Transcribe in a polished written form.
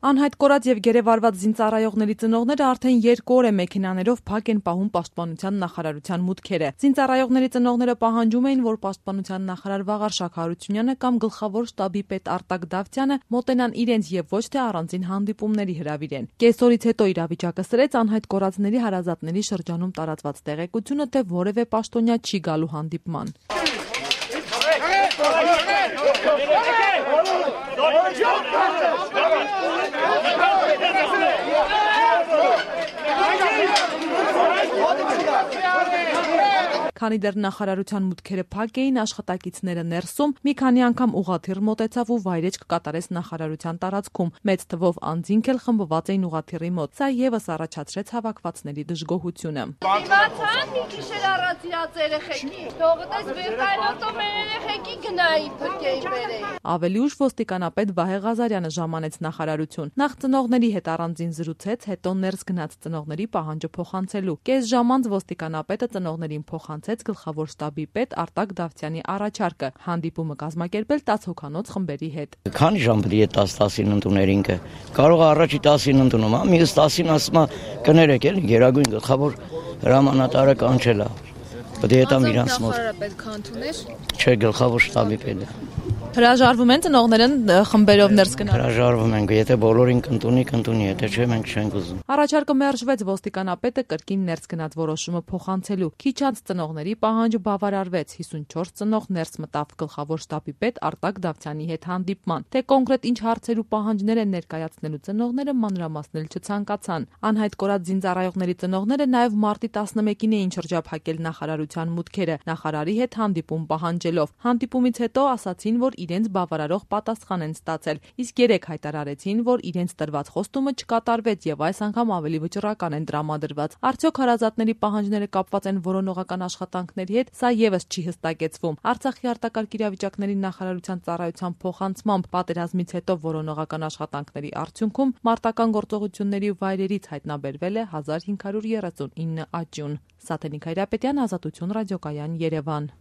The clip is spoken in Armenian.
Անհայտ կորած եւ գերեվարված զինծառայողների ծնողները արդեն 2 օր է մեքենաներով փակ են պահում Պաշտպանության նախարարության մուտքերը։ Զինծառայողների ծնողները պահանջում էին, որ Պաշտպանության նախարար Վաղարշակ Հարությունյանը կամ գլխավոր շտաբի պետ Արտակ Դավթյանը մոտենան իրենց եւ ոչ թե առանձին հանդիպումների հրավիրեն։ Կեսօրից հետո իրավիճակը սրեց անհայտ կորածների հարազատների շրջանում տարածված տեղեկությունը, թե որևէ պաշտոնյա չի գալու հանդիպման։ Քանի դեռ նախարարության մուտքերը փակ էին, աշխատակիցները ներսում, մի քանի անգամ ուղղաթիռ մոտեցավ ու վայրեջք կատարեց նախարարության տարածքում։ Մեծ թվով անձինք էլ խմբված էին ուղղաթիռի մոտ։ Սա եւս առաջացրեց հավաքվածների դժգոհությունը։ Դիմացան մի գիշեր առաջ իրաց երեխեքի, թողտես վերկայնոտով մեր երեխեքի գնայի փրկեի բերեի։ Ավելի ուշ ոստիկանապետ Վահե Ղազարյանը ժամանեց նախարարություն։ Նախ ծնողների հետ առանձին զրուցեց, հետո ներս գնաց ծնողների պահանջը փոխանցելու։ Կես ժամ անց ոստիկանապետը ծնողներին փոխանցեց գլխավոր շտաբի պետ Արտակ Դավթյանի առաջարկը հանդիպումը կազմակերպել 10 հոգանոց խմբերի հետ։ Քանի ժամ պետք է 10-10-ին ընդուներ ինքը։ Կարող է առաջի 10-ին ընդունում, մյուս 10-ին ասում է կներեք էլի գերագույն գլխավոր հրամանատարը կանչել է։ Պետք է տամ իրանց մոտ։ Նախարարը պետք է ընդուներ։ Չէ, գլխավոր շտաբի պետը։ Հրաժարվում են ծնողները խմբերով ներս գնալ։ Հրաժարվում ենք, եթե բոլորին կընդունի, եթե չէ մենք չենք ուզում։ Առաջարկը մերժվեց, ոստիկանապետը կրկին ներս գնաց որոշումը փոխանցելու։ Քիչ անց ծնողների պահանջը բավարարվեց։ 54 ծնող ներս մտավ գլխավոր շտաբի պետ Արտակ Դավթյանի հետ հանդիպման։ Թե կոնկրետ ինչ հարցեր ու պահանջներ են ներկայացնելու ծնողները մանրամասնել չցանկացան։ Անհայտ կորած զինծառայողների ծնողները նաև մարտի 11-ին էին շրջափակել նախարարության մուտքերը, նախարարի հետ հանդիպում պահանջելով։ Հանդիպումից հետո ասացին, որ իրենց բավարարող պատասխան են ստացել, իսկ 3 հայտարարեցին, որ իրենց տրված խոստումը չկատարվեց եւ այս անգամ ավելի վճռական են տրամադրված։ Արդյոք հարազատների պահանջները կապված են որոնողական աշխատանքների հետ, սա եւս չի հստակեցվում։ Արցախի արտակարգ իրավիճակների նախարարության ծառայության փոխանցմամբ պատերազմից հետո որոնողական աշխատանքների արդյունքում մարտական գործողությունների վայրերից հայտնաբերվել է 1539 աճյուն։ Սաթենիկ Հայրապետյան, Ազատություն ռադիոկայան, Երևան։